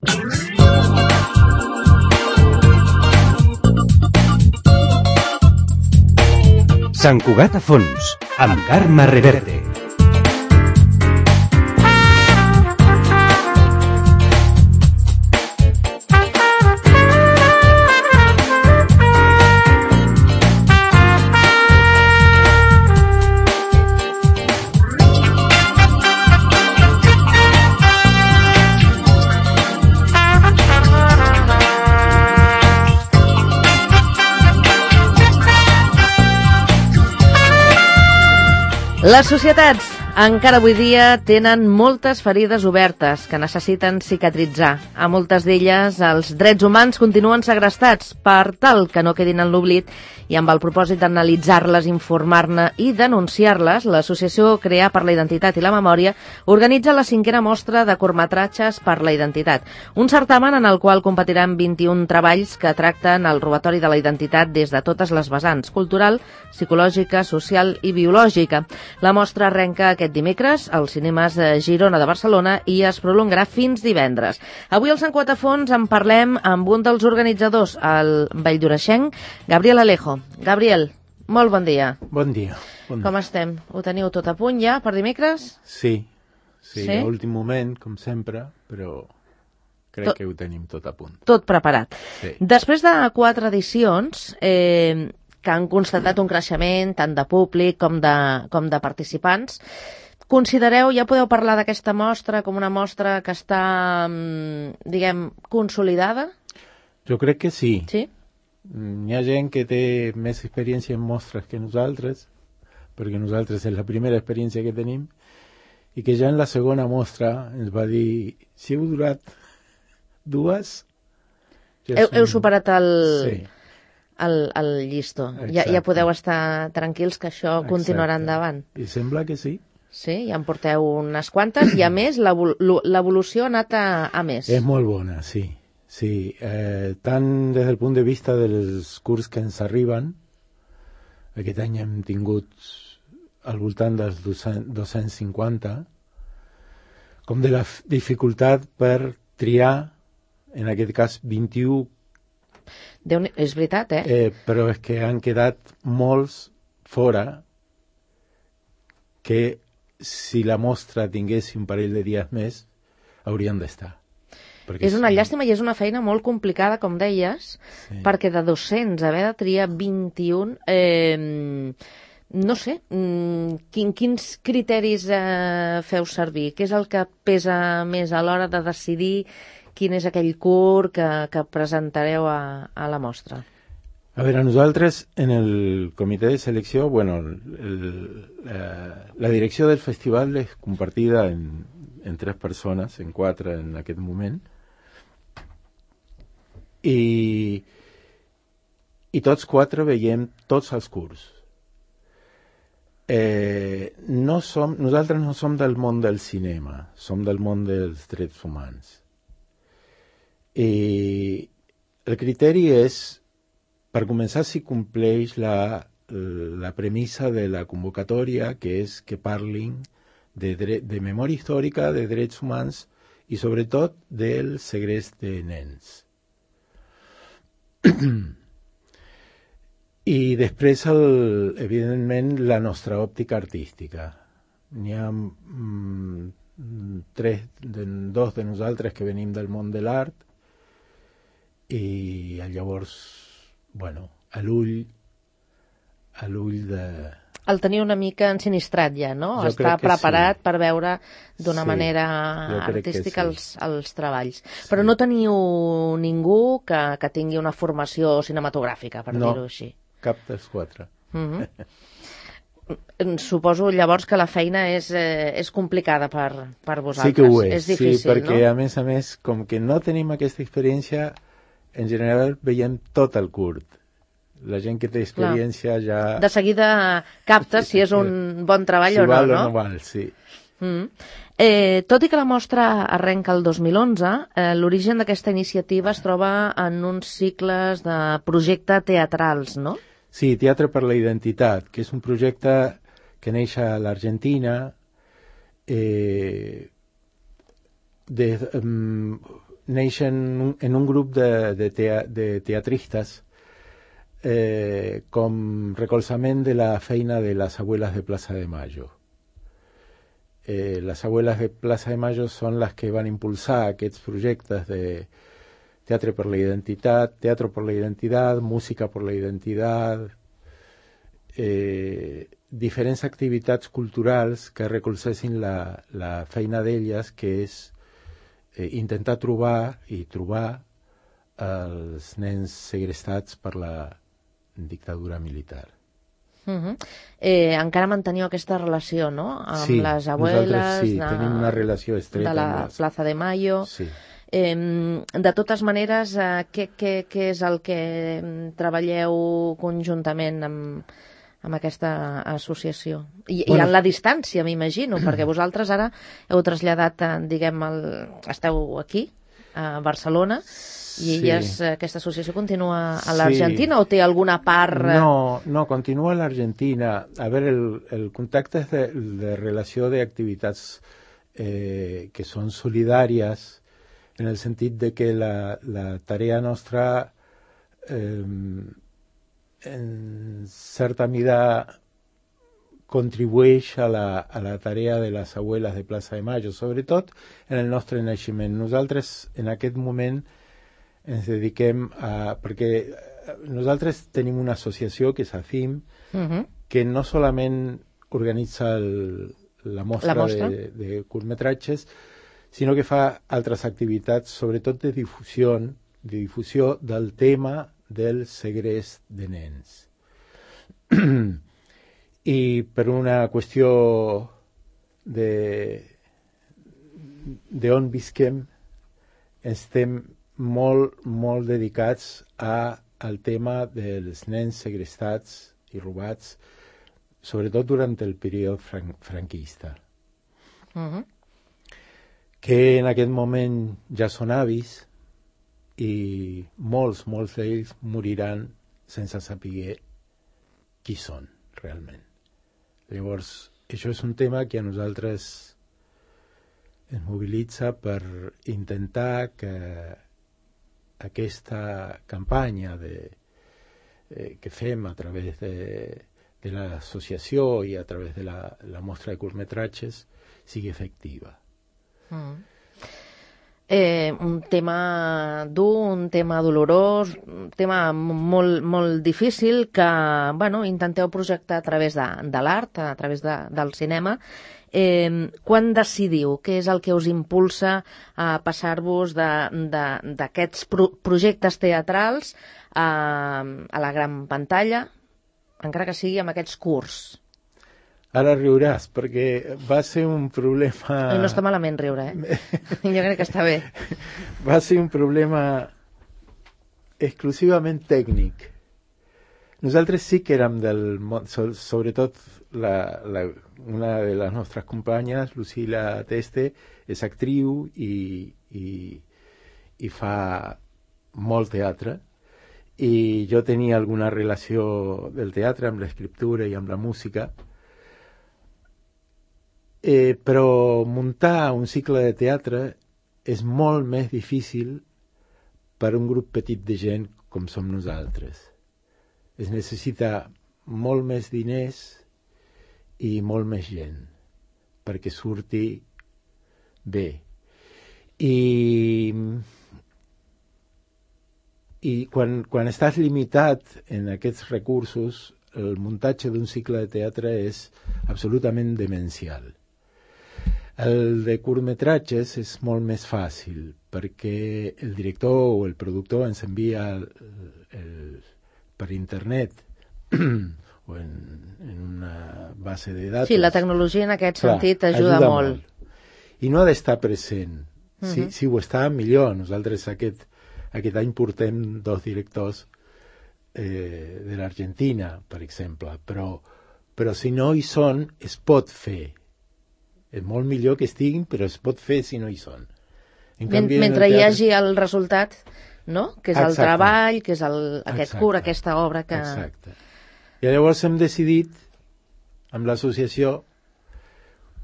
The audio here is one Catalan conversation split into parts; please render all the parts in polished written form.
Sant Cugat a fons, amb Carme Reverte. Les societats encara avui dia tenen moltes ferides obertes que necessiten cicatritzar. A moltes d'elles els drets humans continuen segrestats per tal que no quedin en l'oblit i amb el propòsit d'analitzar-les, informar-ne i denunciar-les, l'Associació Crear per la Identitat i la Memòria organitza la 5a mostra de curtmetratges per la identitat, un certamen en el qual competiran 21 treballs que tracten el robatori de la identitat des de totes les vessants, cultural, psicològica, social i biològica. La mostra arrenca aquest dimecres als cinemes Girona de Barcelona i es prolongarà fins divendres. Avui al Sant Cugat a fons en parlem amb un dels organitzadors, el valldoreixenc, Gabriel Alejo. Gabriel, molt bon dia. Bon dia. Com estem? Ho teniu tot a punt ja per dimecres? Sí, a últim moment, com sempre, però crec que ho tenim tot a punt. Tot preparat. Sí. Després de 4 edicions, que han constatat un creixement tant de públic com de participants, considereu, ja podeu parlar d'aquesta mostra com una mostra que està, diguem, consolidada? Jo crec que sí. Sí? Hi ha gent que té més experiència en mostres que nosaltres, perquè nosaltres és la primera experiència que tenim, i que ja en la segona mostra ens va dir, si heu durat 2... Heu superat el... Sí. El llistó. Ja podeu estar tranquils que això continuarà endavant. I sembla que sí. Sí, ja en porteu unes quantes i a més l'evolució ha anat a més. És molt bona, sí. Sí, tant des del punt de vista dels curs que ens arriben, aquest any hem tingut al voltant dels 250, com de la dificultat per triar, en aquest cas 21. És veritat, però és que han quedat molts fora que si la mostra tingués un parell de dies més haurien d'estar. És una llàstima i és una feina molt complicada, com deies, perquè de 200 haver de triar 21, no sé, quins criteris feu servir? Què és el que pesa més a l'hora de decidir quin és aquell curt que presentareu a la mostra? A veure, nosaltres en el comitè de selecció, la direcció del festival és compartida en 3 persones, en 4 en aquest moment, i tots 4 veiem tots els curts. Nosaltres no som del món del cinema, som del món dels drets humans. I el criteri és, per començar, si compleix la premissa de la convocatòria, que és que parlin de memòria històrica, de drets humans i sobretot del segrest de nens. I després, evidentment, la nostra òptica artística. N'hi ha 2 de nosaltres que venim del món de l'art i llavors, a l'ull de... El tenia una mica ensinistrat ja, no? Està preparat per veure d'una manera artística els treballs. Però no teniu ningú que tingui una formació cinematogràfica, per dir-ho així. No, cap dels 4. Suposo llavors que la feina és complicada per vosaltres. Sí que ho és, difícil, perquè no? a més, com que no tenim aquesta experiència, en general veiem tot el curt. La gent que té experiència ja... De seguida capta si és un bon treball o no, no? Si val o no val, sí. Tot i que la mostra arrenca el 2011, l'origen d'aquesta iniciativa es troba en uns cicles de projecte teatrals, no? Sí, Teatre per la Identitat, que és un projecte que neix a l'Argentina neix en un grup de teatristes com recolzament de la feina de les abuelas de Plaza de Mayo. Les abuelas de Plaza de Mayo són les que van impulsar aquests projectes de teatre per la identitat, teatre per la identitat, música per la identitat, diferents activitats culturals que recolzessin la feina d'elles, que és intentar trobar els nens segrestats per la dictadura militar. Encara manteniu aquesta relació, no? Amb les abueles tenim una relació estreta de la Plaza de Mayo. Sí. De totes maneres, què és el que treballeu conjuntament amb aquesta associació? I en la distància, m'imagino, perquè vosaltres ara heu traslladat, esteu aquí, a Barcelona, i aquesta associació continua a l'Argentina o té alguna part... No, continua a l'Argentina. A veure, el contacte és de relació d'activitats que són solidàries, en el sentit de que la tarea nostra en certa mida contribueix a la tarea de les abueles de Plaza de Mayo, sobretot en el nostre naixement. Nosaltres en aquest moment ens dediquem perquè nosaltres tenim una associació que és ACIM, que no solament organitza la mostra de curtmetratges, sinó que fa altres activitats, sobretot de difusió del tema del segrest de nens. I per una qüestió d'on visquem, estem molt dedicats al tema dels nens segrestats i robats, sobretot durant el període franquista. Que en aquest moment ja són avis i molts d'ells moriran sense saber qui són realment. Llavors, això és un tema que a nosaltres ens mobilitza per intentar que aquesta campanya que fem a través de l'associació i a través de la mostra de curtmetratges sigui efectiva. Un tema dur, un tema dolorós, un tema molt difícil que intenteu projectar a través de l'art, a través del cinema. Quan decidiu? Què és el que us impulsa a passar-vos d'aquests projectes teatrals a la gran pantalla, encara que sigui amb aquests curts? Ara riuràs, perquè va ser un problema... No està malament riure, Jo crec que està bé. Va ser un problema exclusivament tècnic. Nosaltres sí que érem del món, sobretot una de les nostres companyes, Lucila Teste, és actriu i fa molt teatre, i jo tenia alguna relació del teatre amb l'escriptura i amb la música, però muntar un cicle de teatre és molt més difícil per un grup petit de gent com som nosaltres. Es necessita molt més diners i molt més gent perquè surti bé. I quan estàs limitat en aquests recursos, el muntatge d'un cicle de teatre és absolutament demencial. El de curtmetratges és molt més fàcil perquè el director o el productor ens envia per internet o en una base de datos. Sí, la tecnologia en aquest sentit ajuda molt. I no ha d'estar present. Si ho està, millor. Nosaltres aquest any portem 2 directors de l'Argentina, per exemple, però si no hi són, es pot fer. És molt millor que estiguin, però es pot fer si no hi són. Mentre hi hagi el resultat, no? Que és el treball, que és aquest curt, aquesta obra que... Exacte. I llavors hem decidit, amb l'associació,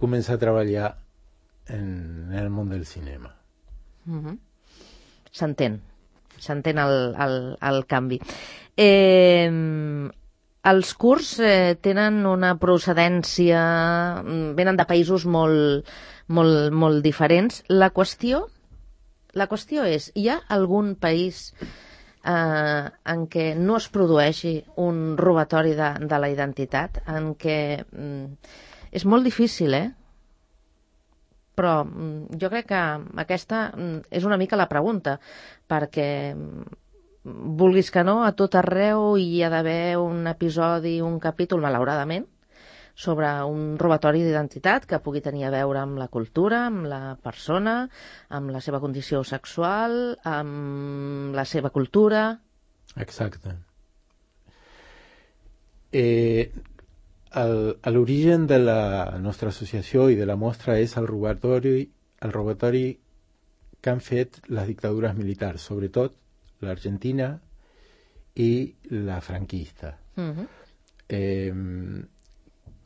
començar a treballar en el món del cinema. s'entén el canvi. Els kurds tenen una procedència, venen de països molt diferents. La qüestió és, hi ha algun país en què no es produeixi un robatori de la identitat, en què és molt difícil, però jo crec que aquesta és una mica la pregunta, perquè vulguis que no, a tot arreu hi ha d'haver un episodi, un capítol, malauradament, sobre un robatori d'identitat que pugui tenir a veure amb la cultura, amb la persona, amb la seva condició sexual, amb la seva cultura. Exacte. L'origen de la nostra associació i de la mostra és el robatori que han fet les dictadures militars, sobretot l'Argentina i la franquista,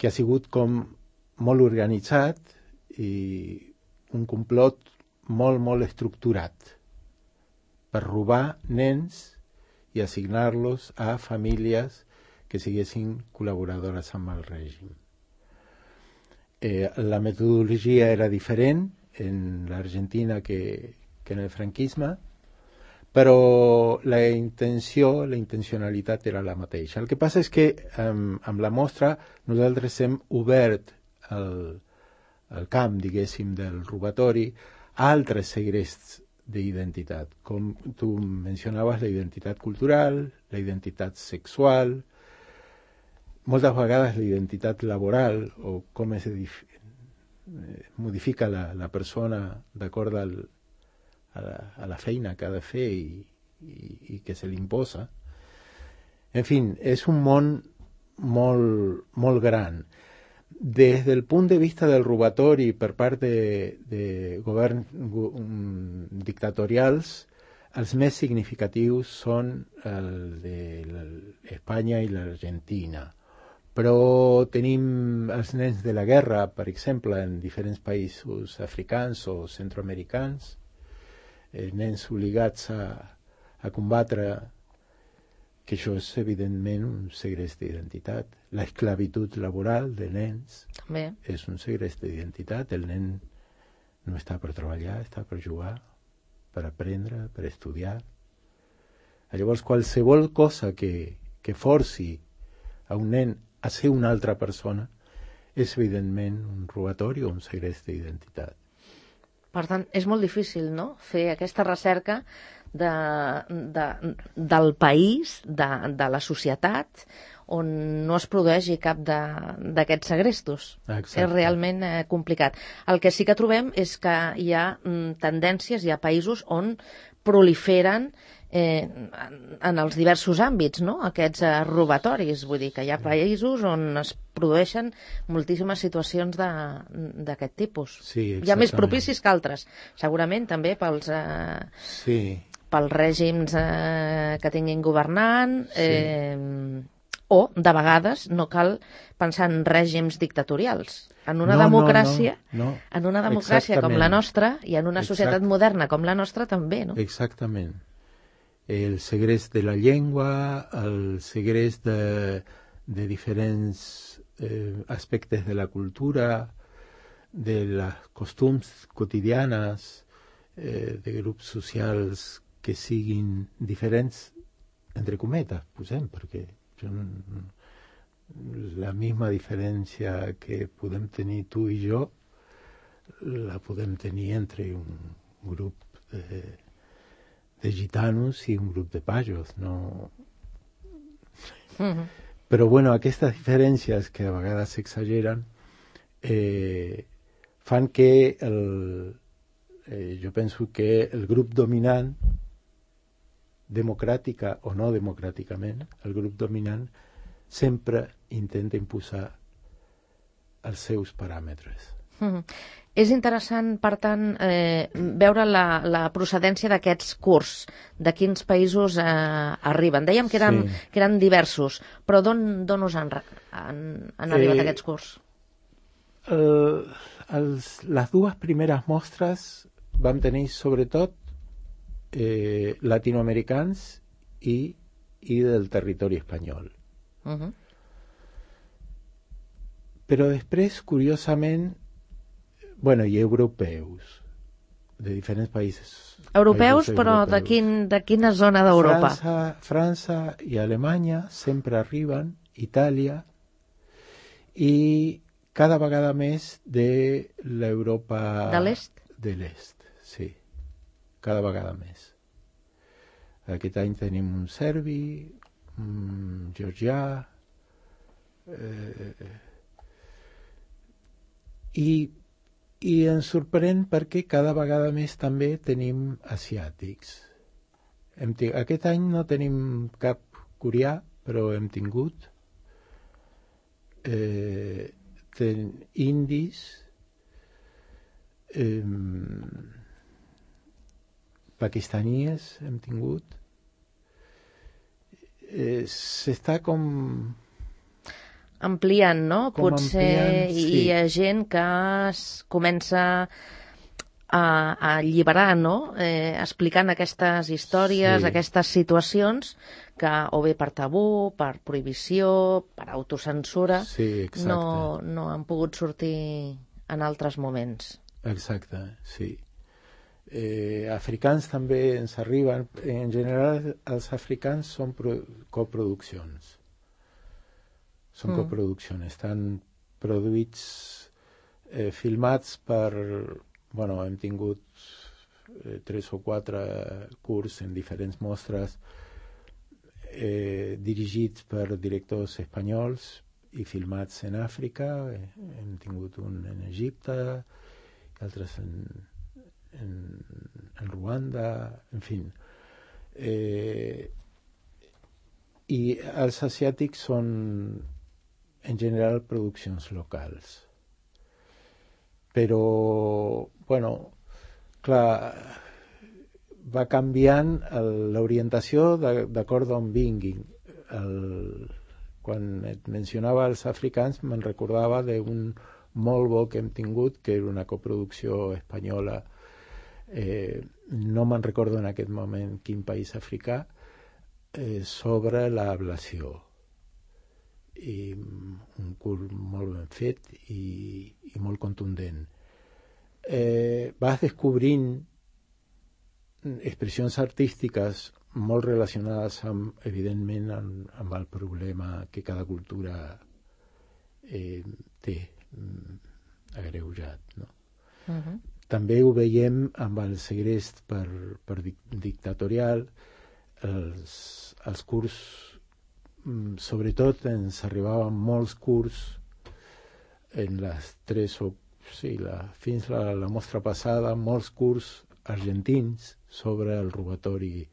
que ha sigut com molt organitzat i un complot molt estructurat per robar nens i assignar-los a famílies que siguessin col·laboradores amb el règim. La metodologia era diferent en l'Argentina que en el franquisme, però la intencionalitat era la mateixa. El que passa és que amb la mostra nosaltres hem obert el camp, diguéssim, del robatori a altres segrests d'identitat, com tu mencionaves, la identitat cultural, la identitat sexual, moltes vegades la identitat laboral, o com es modifica la persona d'acord a la feina que ha de fer i que se li imposa. En fi, és un món molt gran. Des del punt de vista del robatori per part de governs dictatorials, els més significatius són el d'Espanya i l'Argentina. Però tenim els nens de la guerra, per exemple, en diferents països africans o centroamericans, nens obligats a combatre, que això és evidentment un segrest d'identitat. L'esclavitud laboral de nens també és un segrest d'identitat. El nen no està per treballar, està per jugar, per aprendre, per estudiar. Llavors, qualsevol cosa que forci a un nen a ser una altra persona és evidentment un robatori o un segrest d'identitat. Per tant, és molt difícil, no?, fer aquesta recerca del país, de la societat, on no es produeixi cap d'aquests segrestos. Exacte. És realment complicat. El que sí que trobem és que hi ha tendències, hi ha països on proliferen en els diversos àmbits, no?, aquests robatoris. Vull dir que hi ha països on es produeixen moltíssimes situacions d'aquest tipus. Sí, hi ha més propicis que altres, segurament també pels règims que tinguin governant, o de vegades no cal pensar en règims dictatorials. En una democràcia en una democràcia com la nostra i en una societat moderna com la nostra també, no? Exactament. El segrest de la llengua, el segrest de diferents aspectes de la cultura, de les costums quotidianes, de grups socials que siguin diferents, entre cometes, posem, perquè la misma diferència que podem tenir tu i jo la podem tenir entre un grup de gitanos i un grup de pajos, no? Però bueno, aquestes diferències que a vegades s'exageren fan que jo penso que el grup dominant, democràtica o no democràticament, el grup dominant sempre intenta imposar els seus paràmetres. És interessant, per tant, veure la procedència d'aquests kurds, de quins països arriben. Dèiem que eren diversos, però d'on us han arribat aquests kurds? Les dues primeres mostres vam tenir sobretot latinoamericans i del territori espanyol. Però després, curiosament, i europeus, de diferents països. Europeus, però europeus. De quina zona d'Europa? França i Alemanya sempre arriben, Itàlia, i cada vegada més de l'Europa... De l'est? De l'est, sí. Cada vegada més. Aquest any tenim un serbi, un georgià, i ens sorprèn perquè cada vegada més també tenim asiàtics. Aquest any no tenim cap coreà, però hem tingut indis, pakistaníes hem tingut. S'està com... ampliant, no? Potser sí. Hi ha gent que es comença a alliberar, no? Explicant aquestes històries, sí. Aquestes situacions que o bé per tabú, per prohibició, per autocensura, sí, no han pogut sortir en altres moments. Exacte, sí. Africans també ens arriben. En general, els africans són coproduccions. Són coproduccions. Estan produïts, filmats per... hem tingut 3 o 4 curts en diferents mostres dirigits per directors espanyols i filmats en Àfrica. Hem tingut un en Egipte, altres en Ruanda, en fi. I els asiàtics són, en general, produccions locals. Però, clar, va canviant l'orientació d'acord d'on vinguin. Quan et mencionava els africans, me'n recordava d'un molt bo que hem tingut, que era una coproducció espanyola. No me'n recordo en aquest moment quin país africà, sobre l'ablació. I un curt molt ben fet i molt contundent. Vas descobrint expressions artístiques molt relacionades evidentment amb el problema que cada cultura té agreujat, no? També ho veiem amb el segrest per dictatorial. Els curts, sobretot ens arribaven molts curts en les 3 o... fins a la mostra passada, molts curts argentins sobre el robatori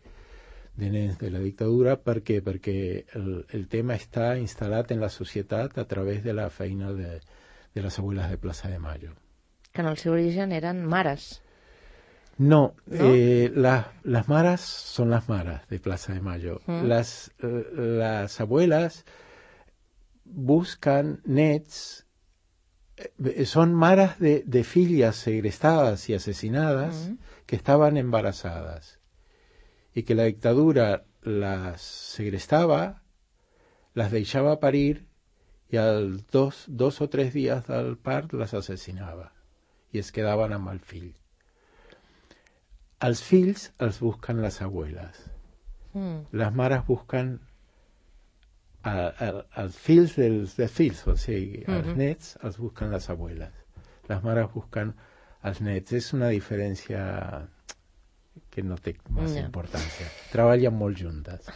de nens de la dictadura. Per què? Perquè el tema està instal·lat en la societat a través de la feina de les abuelas de Plaza de Mayo. Que en el seu origen eren mares. No, las maras son las maras de Plaza de Mayo. Las abuelas buscan nets, son maras de fillas segrestadas y asesinadas que estaban embarazadas y que la dictadura las segrestaba, las deixava parir i als 2 o 3 dies del part les assassinava i es quedaven amb el fill. Els fills els busquen les abueles. Les mares busquen els fills dels fills, o sigui, els nets els busquen les abueles. Les mares busquen els nets. És una diferència que no té massa importància. Treballen molt juntes.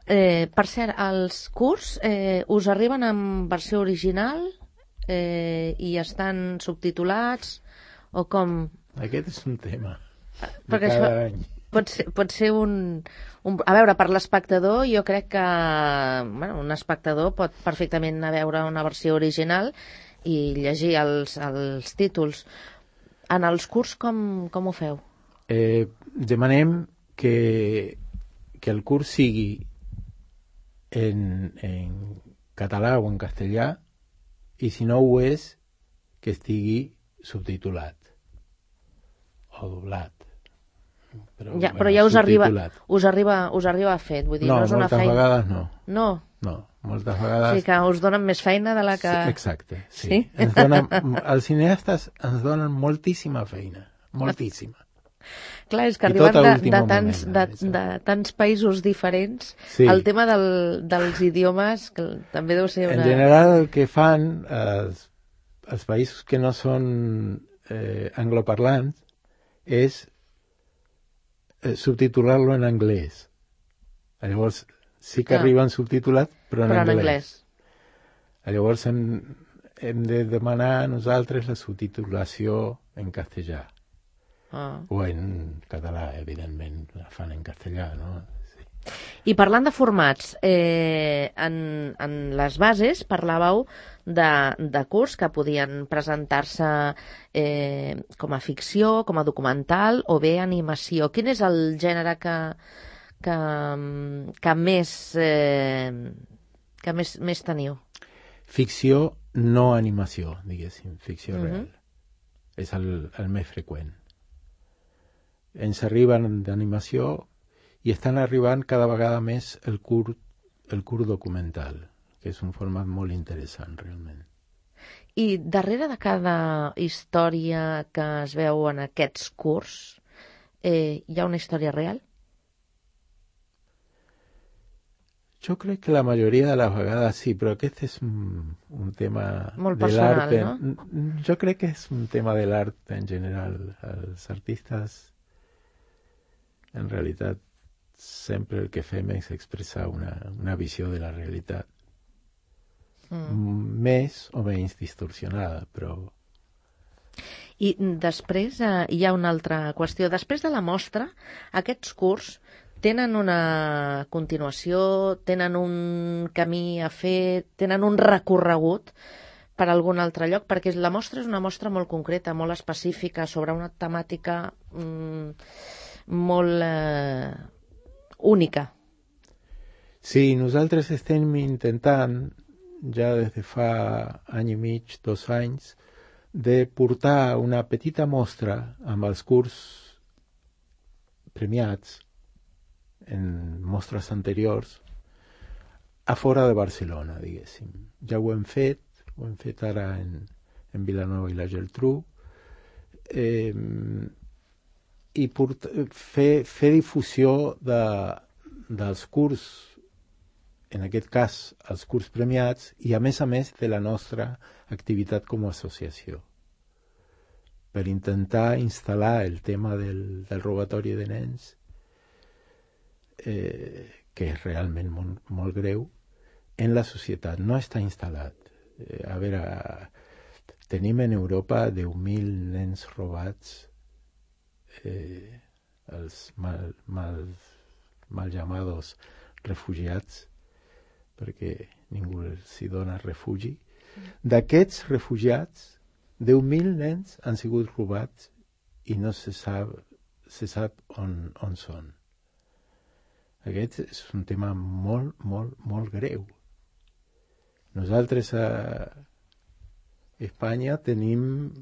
Per cert, els curts us arriben en versió original i estan subtitulats o com? Aquest és un tema. Perquè cada any. Pot ser un... A veure, per l'espectador, jo crec que un espectador pot perfectament anar a veure una versió original i llegir els títols. En els curts, com ho feu? Demanem que el curs sigui en català o en castellà i si no ho és, que estigui subtitulat o doblat. però, Ja, però ja us arriba a fer, vull dir, no és una feina... moltes vegades no. No? No, moltes vegades... O sigui que us donen més feina de la que... Sí, exacte, sí. Sí? Els cineastes ens donen moltíssima feina, moltíssima. Clar, és que I arribant tot a últim de tants països diferents, Sí. el tema dels idiomes que també deu ser En una... general, el que fan els països que no són angloparlants és subtitular-lo en anglès. Llavors, sí que arriben subtitulats, però en anglès. Llavors hem de demanar a nosaltres la subtitulació en castellà. O en català, evidentment, la fan en castellà, no? Sí. I parlant de formats, en les bases parlàveu de curs que podien presentar-se com a ficció, com a documental o bé animació. Quin és el gènere que més teniu? Ficció, no animació, diguéssim, ficció real. És el més freqüent. Ens arriben d'animació i estan arribant cada vegada més el curt documental, que és un format molt interessant, realment. I darrere de cada història que es veu en aquests curts, hi ha una història real? Jo crec que la majoria de les vegades sí, però aquest és un tema molt de personal, l'art. no? Jo crec que és un tema de l'art en general. Els artistes, en realitat, sempre el que fem és expressar una visió de la realitat. Més o menys distorsionada, però... I després hi ha una altra qüestió. Després de la mostra, aquests curs tenen una continuació, tenen un camí a fer, tenen un recorregut per algun altre lloc, perquè la mostra és una mostra molt concreta, molt específica, sobre una temàtica molt única. Sí, nosaltres estem intentant, ja des de fa any i mig, 2 anys, de portar una petita mostra amb els curs premiats en mostres anteriors a fora de Barcelona, diguéssim. Ja ho hem fet ara en Vilanova i la Geltrú, i fer difusió dels curs, en aquest cas els curs premiats, i a més de la nostra activitat com a associació, per intentar instal·lar el tema del robatori de nens, que és realment molt greu, en la societat. No està instal·lat. A veure, tenim en Europa 10.000 nens robats, els mal llamados refugiats, perquè ningú els hi dona refugi. D'aquests refugiats, 10.000 nens han sigut robats i no se sap on són. Aquest és un tema molt, molt, molt greu. Nosaltres a Espanya tenim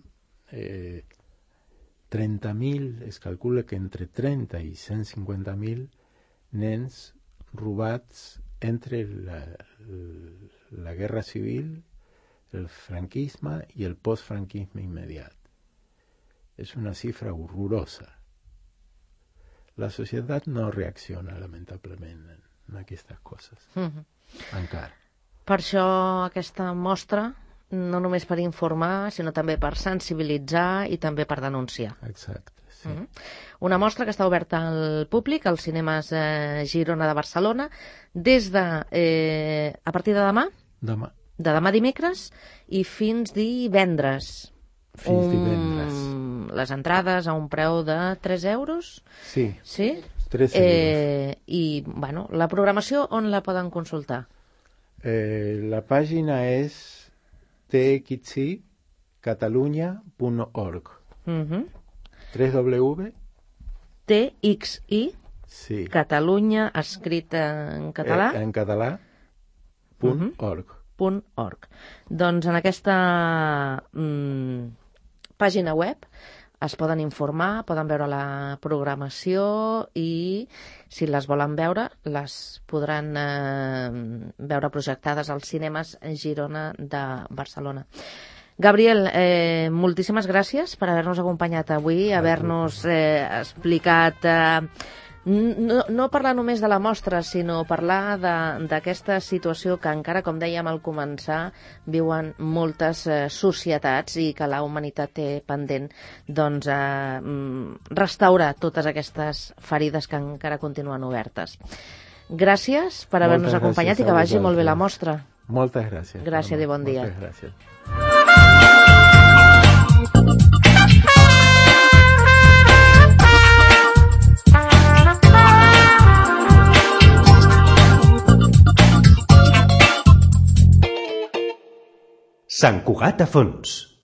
30.000, es calcula que entre 30 i 150.000 nens robats entre la guerra civil, el franquisme i el postfranquisme immediat. És una xifra horrorosa. La societat no reacciona, lamentablement, en aquestes coses. Encara. Per això aquesta mostra, no només per informar, sinó també per sensibilitzar i també per denunciar. Exacte, sí. Una mostra que està oberta al públic, als cinemes Girona de Barcelona, des de... a partir de demà? Demà. De demà dimecres i fins divendres. Fins divendres. Les entrades a un preu de 3 euros? Sí, sí? 3 euros. I, bueno, la programació on la poden consultar? La pàgina és txicatalunya.org. www. TXI, sí. Catalunya, escrit en català? En català, .org. .org. Doncs en aquesta pàgina web es poden informar, poden veure la programació i, si les volen veure, les podran veure projectades als cinemes Girona de Barcelona. Gabriel, moltíssimes gràcies per haver-nos acompanyat avui, haver-nos explicat... No parlar només de la mostra, sinó parlar d'aquesta situació que encara, com dèiem al començar, viuen moltes societats i que la humanitat té pendent restaurar totes aquestes ferides que encara continuen obertes. Gràcies per haver-nos acompanyat i que vagi molt bé la mostra. Moltes gràcies. Gràcies i bon dia. Moltes gràcies. Sant Cugat a fons.